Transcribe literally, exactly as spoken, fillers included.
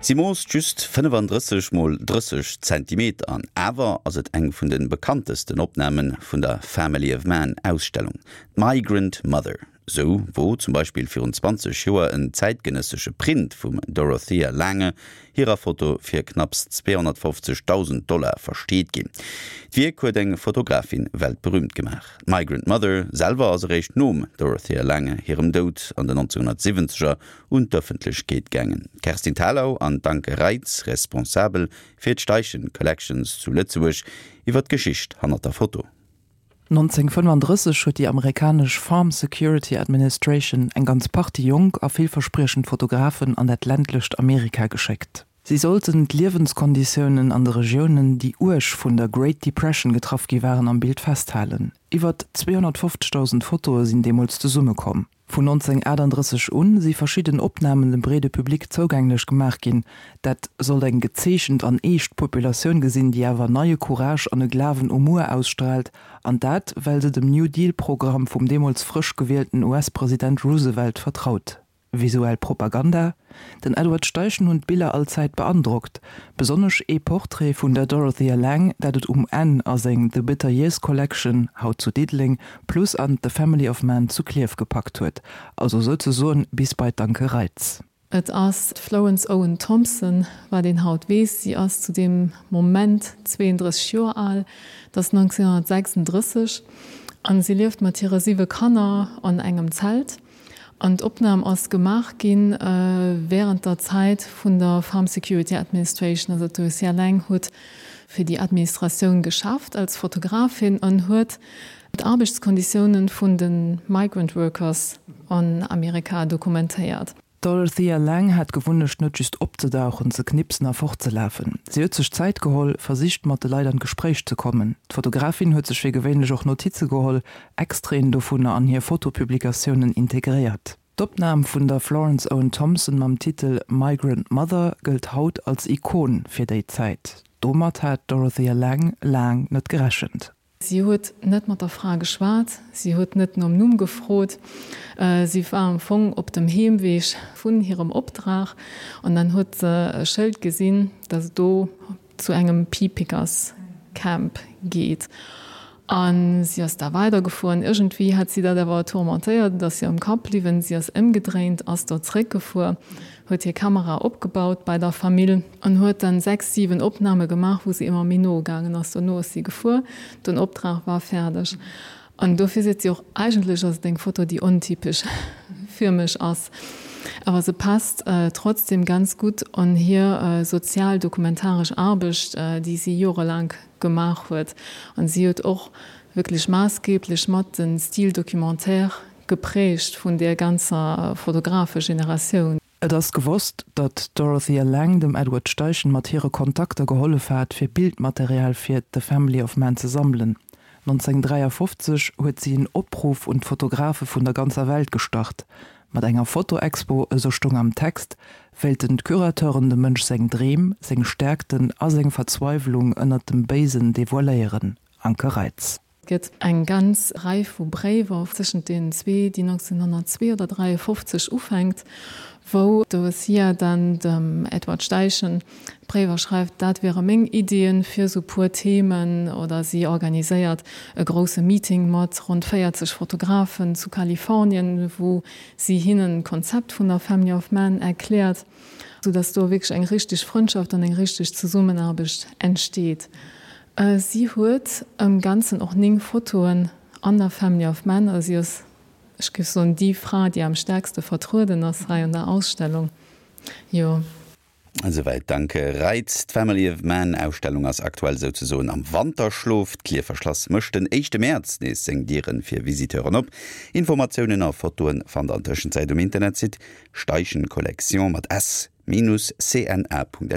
Si moosst just fënnefandrësseg mol drësseg Zentimeter an awer ass et eng vun de bekanntesten Opname vun der Family of Man Ausstellung, d'Migrant Mother. Sou wor zum Beispill virun zwanzeg Joer en zäitgenëssesche Print vum Dorothea Lange hirer Foto fir knapps zweehonnertfofzegdausend Dollar versteet ginn. D'Wierk huet eng Fotografin weltberüümt gemaach. D'Migrant Mother selwer ass eréischt nom Dorothea Lange hirem Doud an den nonzénhunnertsiwwenzeger un d'Ëffentlechkeet gaangen. D'Kerstin Thalau an d'Anke Reitz, responsabel fir d'Steichen Collections zu Lëtzebuerg, iwwer d'Geschicht hannert der Foto. nonzénhunnertfënnefandrësseg huet déi amerikanesch Farm Security Administration eng ganz Partie jonk a villverspriechend Fotografen an dat ländlecht Amerika geschéckt. Si sollten d'Liewenskonditiounen an de Regiounen, déi uerg vun der Great Depression getraff gi waren, am Bild festhalen. Iwwer zweehonnertfofzegdausend Fotoe sinn deemools zesummekomm. Vun nonzénhunnertaachtanddrësseg un si verschidden Opnamen dem breede Public zougänglech gemaach ginn. Dat sollt eng gezeechent an eescht Populatioun gesinn, déi awer neie Courage an e Glawen u muer ausstraalt, an dat well se dem New Deal-Programm vum deemools frësch gewielten U S-President Roosevelt vertraut. Visuell Propaganda? Den Edward Steichen hunn d'Biller allzäit beandrockt, besonnesch ee Portrait vun der Dorothea Lange, dat et um Enn a seng The Bitter Years Collection, haut zu Diddeleng, plus an The Family of Man zu Klierf gepackt huet, also souzesoen bis bei d'Anke Reitz. Et ass d'Florence Owen Thompson, wat een haut weess. Si ass zu deem Moment zweeëndrësseg Joer al, et ass nonzénhunnertsechsandrësseg, a si lieft mat hire siwe Kanner an engem Zelt. An d'Opnam ass gemaach gi wärend der Zäit vun der Farm Security Administration. Also d'Dorothea Lange huet fir déi Administratioun geschafft als Fotografin an huet d'Aarbechtskonditiounen vun de Migrant Workers an Amerika dokumentéiert. D'Dorothea Lange hat d'Gewunnecht net just opzedauchen, ze knipsen a fortzelafen. Si huet sech Zäit geholl, versicht mat de Leit an d'Gespréich ze kommen. D'Fotografin huet sech fir gewéinlech och Notize geholl, Extraiten dovunner an hir Fotopublikatiounen integréiert. D'Opnam vun der Florence Owen Thompson mam Titel Migrant Mother gëllt haut als Ikon fir déi Zäit. Domat hat d'Dorothea Lange laang net gerechent. Si huet net mat der Fra geschwat, si huet net nom Numm gefrot. Si war am Fong op dem Heemweg vun hirem Opdrag an dann huet se e Schëld gesinn, dass et do zu engem Pea Pickers Camp geet. A si ass da weidergefuer. Iergendwéi hat si dat awer tourmentéiert, et ass hir am Kapp bliwwen. Si ass ëmgedréint, ass do zréckgefuer, huet hir Kamera opgebaut bei der Famill an huet dann sechs, siwen Opname gemaach, wou si ëmmer méi no gaangen ass. Dono ass si gefuer, den Optrag war fäerdeg. An dofir seet si och, eigentlech ass et eng Foto, déi ontypesch fir mech ass, awer se passt trotzdem ganz gutt an hir sozial-dokumentaresch Aarbecht, déi si jorelaang gemaach huet. An si huet och wierklech maassgeeblech mat de Style documentaire geprägt vun där ganzer Fotografe-Generatioun. Et ass gewosst, datt d'Dorothea Lange dem Edward Steichen mat hire Kontakter gehollef hat, fir Bildmaterial fir The Family of Man ze sammelen. nonzénhunnertdräiafofzeg huet si en Opruff un d'Fotografe vun der ganzer Welt gestart. Mat enger Fotoexpo, esou stoung am Text, wéilten d'Curateuren dem Mënsch seng Dreem, seng Stäerkten a seng Verzweiwlung ënnert dem Béisen devoiléieren. Anke Reitz. Et gëtt eng ganz Rei vu Bréiwer tëschent deenen zwee, déi nonzénhunnertzwee oder dräiafofzeg ufänkt, wou d'Dorothea dann dem Edward Steichen Bréiwer schreift, dat wiere meng Iddien fir esou puer Themen, oder si organiséiert e grousse Meeting mat ronn véierzeg Fotografen zu Kalifornien, wou si hinnen d'Konzept vun der Family of Man erkläert, soudass do wierklech eng richteg Frëndschaft an eng richteg Zesummenaarbecht entsteet. Si huet am Ganzen och néng Fotoen an der Family of Man, also si ass, ech géif soen, déi Fra, déi am stäerkste vertrueden ass hei an der Ausstellung. Jo. Esouwäit d'Anke Reitz. D'Family of Man Ausstellung ass aktuell souzesoen am Wanterschlof. D'Klierfer Schlass mécht den éischte Mäerz nees seng Diere fir Visiteuren op. Informatiounen a Fotoe fannt der an Tëschenzäit um Internetsite steichencollection mat s minus cna.lu.